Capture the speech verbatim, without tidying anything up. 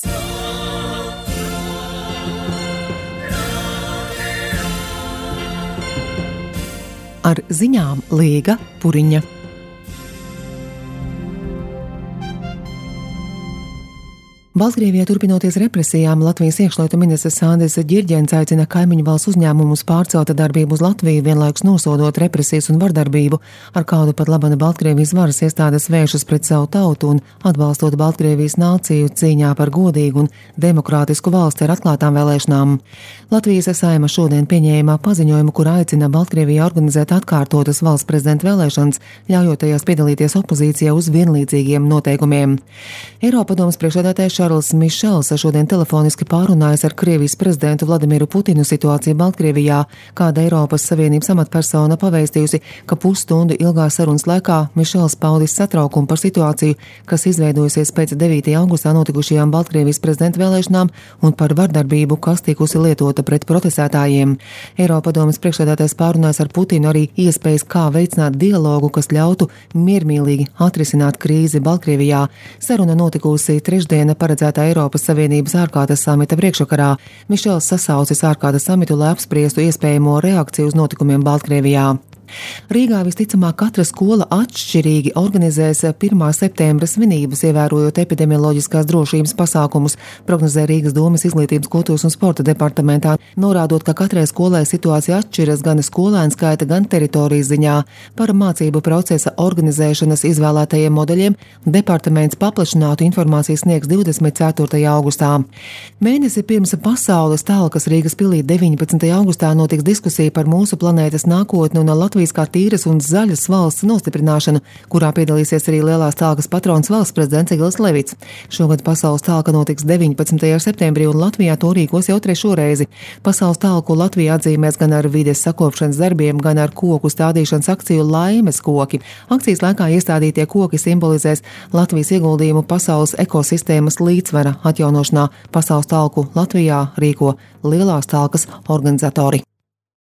Ar ziņām Līga Puriņa. Baltkrievijā turpinoties represijām, Latvijas iekšlietu ministrs Sandis Ģirģents aicina kaimiņu valsts uzņēmumus pārcelt darbību uz Latviju, vienlaikus nosodot represijas un vardarbību, ar kādu pat labana Baltkrievijas varas iestādes vēršas pret savu tautu un atbalstot Baltkrievijas nāciju cīņā par godīgu un demokrātisku valsti ar atklātām vēlēšanām. Latvijas Saeima šodien pieņēma paziņojumu, kur aicina Baltkrievijā organizēt atkārtotas valsts prezidenta vēlēšanas, ļaujot tajās piedalīties opozīcijā uz vienlīdzīgiem noteikumiem. Eiropadomes priekšsēdētājs Šarls Mišels šodien telefoniski pārunājas ar Krievijas prezidentu Vladimiru Putinu situāciju Baltkrievijā, kāda Eiropas Savienības amatpersona pavēstījusi, ka pusstundu ilgās sarunas laikā Mišels paudis satraukumu par situāciju, kas izveidojusies pēc devītajā augustā notikušajām Baltkrievijas prezidenta vēlēšanām un par vardarbību, kas tikusi lietota pret protestētājiem. Eiropadomes priekšsēdētājs pārunājas ar Putinu arī iespējas, kā veicināt dialogu, kas ļautu miermīlīgi atrisināt krīzi Baltkrievijā. Saruna notikusi trešdiena paredzētā Eiropas Savienības ārkārtas samita priekšvakarā. Mišels sasaucis ārkārtas samitu, lai apspriestu iespējamo reakciju uz notikumiem Baltkrievijā. Rīgā visticamāk katra skola atšķirīgi organizēs pirmā septembra svinības, ievērojot epidemioloģiskās drošības pasākumus, prognozē Rīgas domes izglītības, kultūras un sporta departamentā, norādot, ka katrai skolai situācija atšķiras gan skolēnu skaita, gan teritorijas ziņā. Par mācību procesa organizēšanas izvēlētajiem modeļiem departaments paplašinātu informāciju sniegs divdesmit ceturtajā augustā. Mēnesi pirms pasaules talkas Rīgas pilī deviņpadsmitajā augustā notiks diskusija par mūsu planētas nākotni un Latvijas kā tīras un zaļas valsts nostiprināšanu, kurā piedalīsies arī lielās talkas patrons valsts prezidents Egils Levits. Šogad pasaules talka notiks deviņpadsmitajā septembrī un Latvijā to rīkos jau trešo reizi. Pasaules talku Latvijā atzīmēs gan ar vides sakopšanas darbiem, gan ar koku stādīšanas akciju Laimes koki. Akcijas laikā iestādītie koki simbolizēs Latvijas ieguldījumu pasaules ekosistēmas līdzsvara atjaunošanā. Pasaules talku Latvijā rīko lielās talkas organizatori.